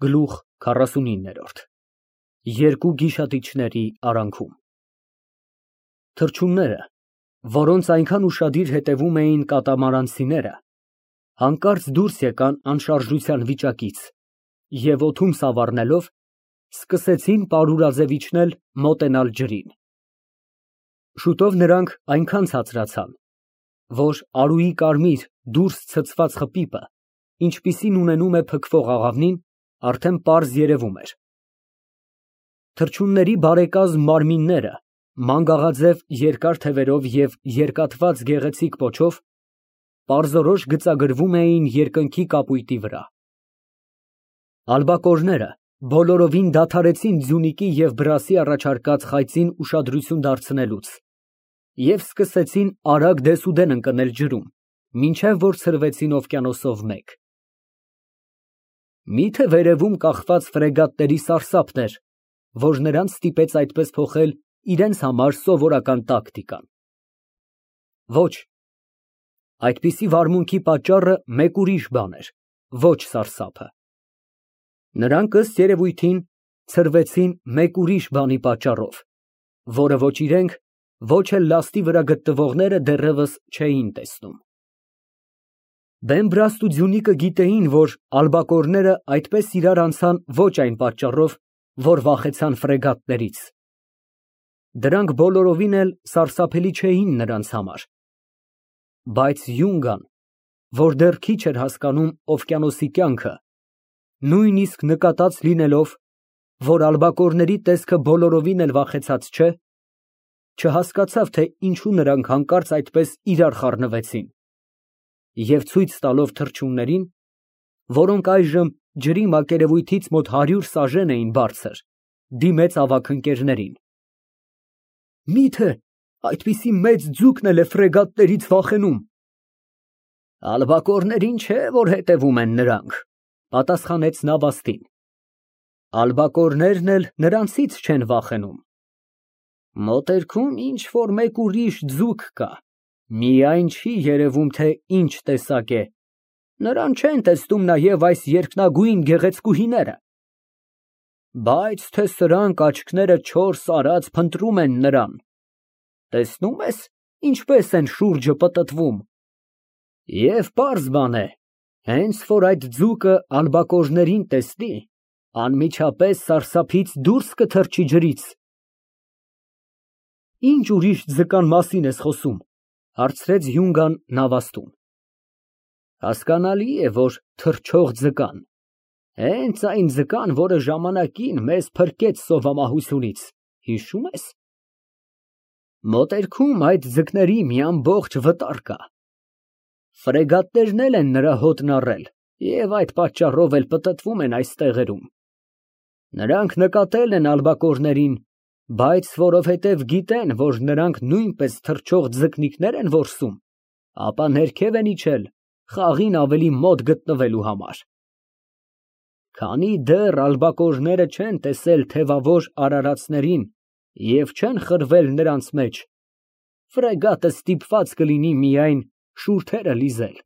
Գլուխ 49 Երկու գիշատիչների արանքում Թռչունները, որոնց այնքան ուշադիր հետևում էին կատամարանցիները, հանկարծ դուրս եկան անշարժության վիճակից և օդում սավառնելով, սկսեցին պարուրաձև իջնել, մոտենալ ջրին։ Շուտով նրանք այնքան ցածրացան, որ արուի կարմիր դուրս ցցված խպիպը, ինչպիսին ունենում է փքվող աղավնին, արդեն պարզ երևում էր։ Թռչունների բարեկազմ մարմինները, մանգաղաձև երկար թևերով և երկաթված գեղեցիկ պոչով, պարզորոշ գծագրվում էին երկնքի կապույտի վրա։ Ալբակորները բոլորովին դադարեցին ձյունիկի և բրասի առաջարկած խայծին ուշադրություն դարձնելուց և սկսեցին արագ դեսուդեն ընկնել ջրում, մինչև որ ցրվեցին օվկիանոսով մեկ։ Մի՞թե վերևում կախված ֆրեգատների սարսափն էր, որ նրանց ստիպեց այդպես փոխել իրենց համար սովորական տակտիկան։ Ոչ, այդպիսի վարմունքի պատճառը մեկ ուրիշ բան էր, ոչ սարսափը։ Նրանք, ըստ երևույթին, ցրվեցին մեկ ուրիշ բանի պատճառով, որը ոչ իրենք, ոչ էլ լաստի վրա գտնվողները դեռևս չէին տեսնում։ Բեմբրաստ ու ձյունիկը գիտեին, որ ալբակորները այդպես իրար անցան ոչ այն պատճառով, որ վախեցան ֆրեգատներից։ Դրանք բոլորովին էլ սարսափելի չէին նրանց համար։ Բայց Յունգան, որ դեռ քիչ էր հասկանում օվկիանոսի կյանքը, նույնիսկ նկատած լինելով, որ ալբակորների տեսքը բոլորովին էլ վախեցած չէ, չհասկացավ, թե ինչու նրանք հանկարծ այդպես իրար խառնվեցին, և ցույց տալով թռչուններին, որոնք այժմ ջրի մակերևույթից մոտ 100 սաժեն էին բարձր, դիմեց ավագ ընկերներին. Մի՞թե այդպիսի մեծ ձուկն էլ է ֆրեգատներից վախենում։ Ալբակորներին չէ, որ հետևում են նրանք, պատասխանեց նավաստին։ Ալբակորներն էլ նրանցից չեն վախենում։ Մոտերքում ինչ֊որ մեկ ուրիշ ձուկ կա, միայն չի երևում, թե ինչ տեսակ է, նրան չեն տեսնում նաև այս երկնագույն գեղեցկուհիները։ Բայց թե սրանք աչքները 4 արած փնտրում են նրան, տեսնում ես, ինչպես են շուրջը պտտվում։ Եվ պարզ բան է, հենց որ այդ ձուկը ալբակորներին տեսնի, անմիջապես սարսափից դուրս կթռչի ջրից։ Ինչ ուրիշ ձկան մասին ես խոսում, հարցրեց Յունգան նավաստուն։ Հասկանալի է, որ թռչող ձկան, հենց այն ձկան, որը ժամանակին մեզ փրկեց սովամահությունից, հիշո՞ւմ ես։ Մոտերքում այդ ձկների մի ամբողջ վտար կա։ Ֆրեգատներն էլ են նրա հոտն առել և այդ պատճառով էլ պտտվում են այս տեղերում։ Նրանք նկատել են ալբակորներին, բայց որովհետև գիտեն, որ նրանք նույնպես թռչող ձկնիկներ են որսում, ապա ներքև են իջել խաղին ավելի մոտ գտնվելու համար։ Քանի դեռ ալբակորները չեն տեսել թևավոր արարածներին և չեն խրվել նրանց մեջ, ֆրեգատը ստիպված կլինի միայն շուրթերը լիզել։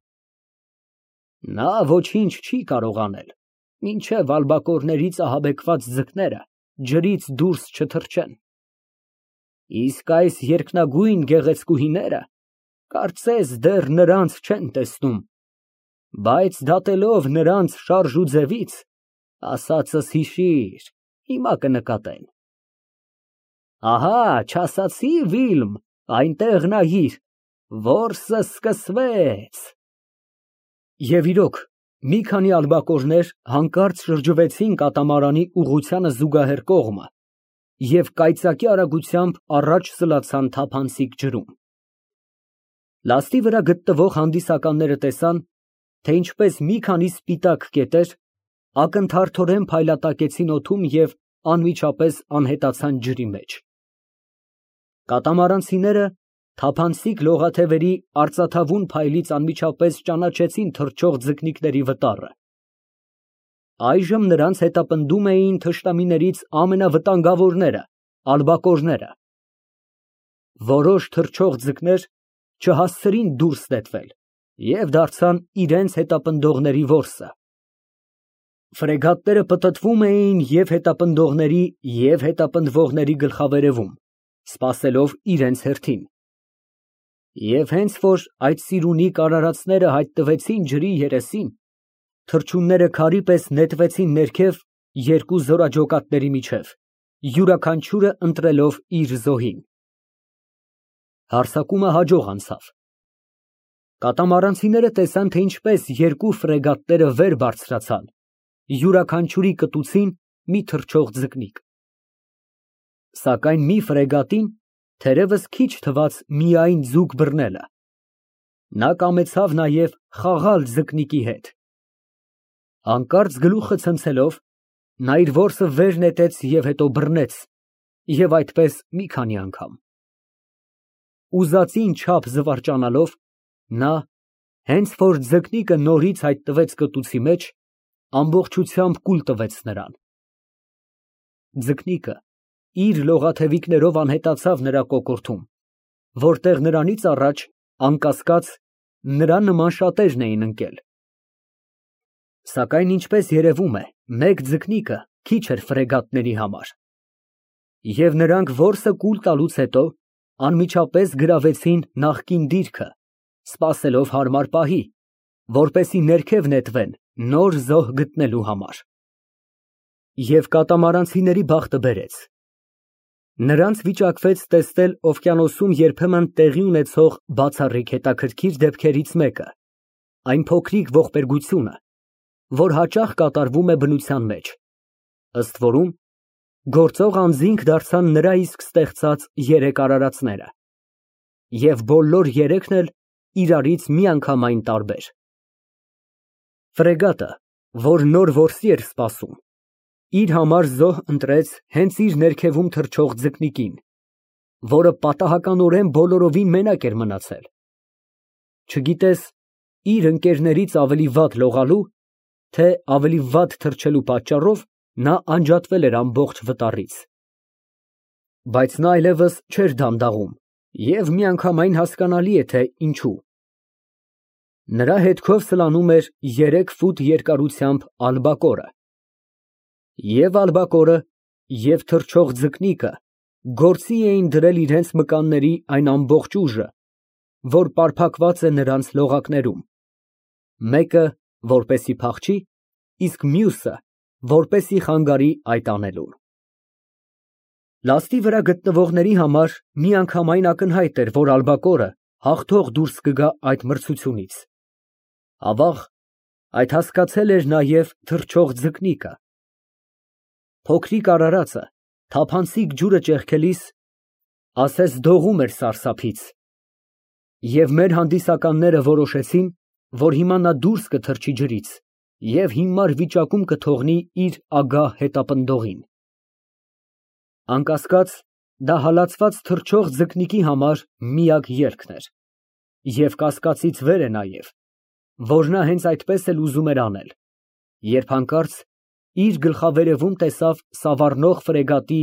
Նա ոչինչ չի կարող անել, մինչև ալբակորներից ահաբեկված ձկները ջրից դուրս չթռչեն։ Իսկ այս երկնագույն գեղեցկուհիները, կարծես դեռ նրանց չեն տեսնում, բայց դատելով նրանց շարժուձևից, ասածս հիշիր, հիմա կնկատեն։ Ահա, չասացի, Վիլմ, այնտեղ նայիր, որսը սկսվեց։ Եվ իրոք, մի քանի ալբակորներ հանկարծ շրջվեցին կատամարանի ուղղությանը զուգահեռ կողմը և կայծակի արագությամբ առաջ սլացան թափանցիկ ջրում։ Լաստի վրա գտնվող հանդիսականները տեսան, թե ինչպես մի քանի սպիտակ կետեր ակնթարթորեն փայլատակեցին օդում և անմիջապես անհետացան ջրի մեջ։ Կատամարանցիները թափանցիկ լողաթևերի արծաթավուն փայլից անմիջապես ճանաչեցին թռչող ձկնիկների վտառը։ Այժմ նրանց հետապնդում էին թշնամիներից ամենավտանգավորները, ալբակորները։ Որոշ թռչող ձկներ չհասցրին դուրս նետվել և դարձան իրենց հետապնդողների որսը։ Ֆրեգատները պտտվում էին և հետապնդողների, և հետապնդվողների գլխավերևում, սպասելով իրենց հերթին։ Եվ հենց որ այդ սիրունիկ արարածները հայտնվեցին ջրի երեսին, թռչունները քարի պես նետվեցին ներքև երկու զորաջոկատների միջև, յուրաքանչյուրը ընտրելով իր զոհին։ Հարձակումը հաջող անցավ։ Կատամարանցիները տեսան, թե ինչպես երկու ֆրեգատները վեր բարձրացան, յուրաքանչյուրի կտուցին մի թռչող ձկնիկ։ Սակայն մի ֆրեգատին թերևս քիչ թվաց միայն ձուկ բռնելը։ Նա կամեցավ նաև խաղալ ձկնիկի հետ։ Հանկարծ գլուխը ցնցելով, նա իր որսը վեր նետեց և հետո բռնեց, և այդպես մի քանի անգամ։ Ուզածին չափ զվարճանալով, նա, հենց որ ձկնիկը նորից հայտնվեց կտուցի մեջ, ամբողջությամբ կուլ տվեց նրան։ Ձկնիկը իր լողաթևիկներով անհետացավ նրա կոկորդում, որտեղ նրանից առաջ, անկասկած, նրա նման շատերն էին ընկել։ Սակայն, ինչպես երևում է, մեկ ձկնիկը քիչ էր ֆրեգատների համար, և նրանք որսը կուլ տալուց հետո անմիջապես գրավեցին նախկին դիրքը, սպասելով հարմար պահի, որպեսզի ներքև նետվեն նոր զոհ գտնելու համար։ Եվ կատամարանցիների բախտը բերեց։ Նրանց վիճակվեց տեսնել օվկիանոսում երբեմն տեղի ունեցող բացառիկ հետաքրքիր դեպքերից մեկը, այն փոքրիկ ողբերգությունը, որ հաճախ կատարվում է բնության մեջ, ըստ որում գործող անձինք դարձան նրա իսկ ստեղծած երեք արարածները, և բոլոր երեքն էլ իրարից միանգամայն տարբեր։ Ֆրեգատը, որ նոր որսի էր սպասում, իր համար զոհ ընտրեց հենց իր ներքևում թռչող ձկնիկին, որը պատահականորեն բոլորովին մենակ էր մնացել։ Չգիտես իր ընկերներից ավելի վատ լողալու, թե ավելի վատ թռչելու պատճառով նա անջատվել էր ամբողջ վտարից։ Բայց նա այլևս չէր դանդաղում, և միանգամայն հասկանալի է, թե ինչու։ Նրա հետքով սլանում էր 3 ֆուտ երկարությամբ ալբակորը։ Եվ ալբակորը, և թռչող ձկնիկը գործի էին դրել իրենց մկանների այն ամբողջ ուժը, որ պարփակված է նրանց լողակներում, մեկը որպեսզի փախչի, իսկ մյուսը որպեսզի խանգարի այդ անելուն։ Լաստի վրա գտնվողների համար միանգամայն ակնհայտ էր, որ ալբակորը հաղթող դուրս կգա այդ մրցությունից։ Ավաղ, այդ հասկացել էր նաև թռչող ձկնիկը։ Փոքրիկ արարածը թափանցիկ ջուրը ճեղքելիս ասես դողում էր սարսափից, և մեր հանդիսականները որոշեցին, որ հիմա նա դուրս կթռչի ջրից և հիմար վիճակում կթողնի իր ագահ հետապնդողին։ Անկասկած, դա հալածված թռչող ձկնիկի համար միակ ելքն էր, և կասկածից վեր է նաև, որ նա հենց այդպես էլ ուզում էր անել, երբ հանկարծ իր գլխավերևում տեսավ սավառնող ֆրեգատի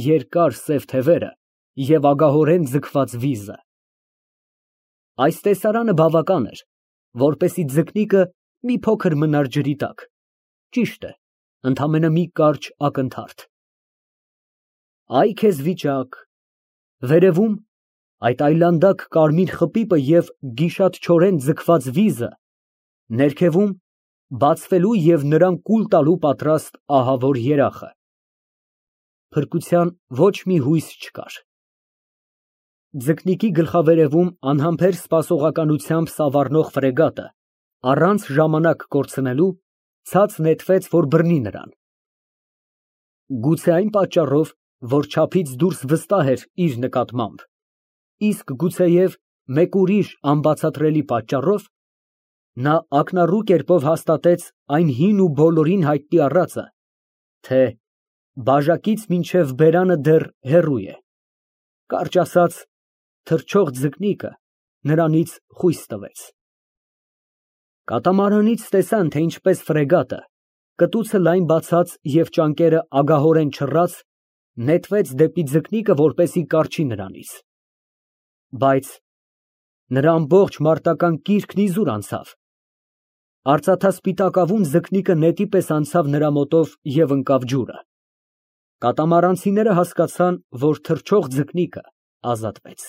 երկար սև թևերը և ագահորեն ձգված վիզը։ Այս տեսարանը բավական էր, որպեսզի ձկնիկը մի փոքր մնար ջրի տակ, ճիշտ է, ընդամենը մի կարճ ակնթարթ։ Այ քեզ վիճակ, վերևում այդ այլանդակ կարմիր խպիպը և գիշատչորեն ձգված վիզը, ներքևում բացվելու և նրան կուլ տալու պատրաստ ահավոր երախը։ Փրկության ոչ մի հույս չկար։ Ձկնիկի գլխավերևում անհամբեր սպասողականությամբ սավառնող ֆրեգատը, առանց ժամանակ կորցնելու, ցած նետվեց, որ բռնի նրան։ Գուցե այն պատճառով, որ չափից դուրս վստահ էր իր նկատմամբ, իսկ գուցեև մեկ ուրիշ անբացատրելի պատճառով, նա ակնառու կերպով հաստատեց այն հին ու բոլորին հայտնի առածը, թե բաժակից մինչև բերանը դեռ հեռու է, կարճ ասած, թռչող ձկնիկը նրանից խույս տվեց։ Կատամարանից տեսան, թե ինչպես ֆրեգատը, կտուցը լայն բացած և ճանկերը ագահորեն չռած, նետվեց դեպի ձկնիկը, որպեսզի կառչի նրանից։ Բայց նրա ամբողջ մարտական կիրքն իզուր անցավ։ Արծաթասպիտակավուն ձկնիկը նետի պես անցավ նրա մոտով և ընկավ ջուրը։ Կատամարանցիները հասկացան, որ թռչող ձկնիկը ազատվեց։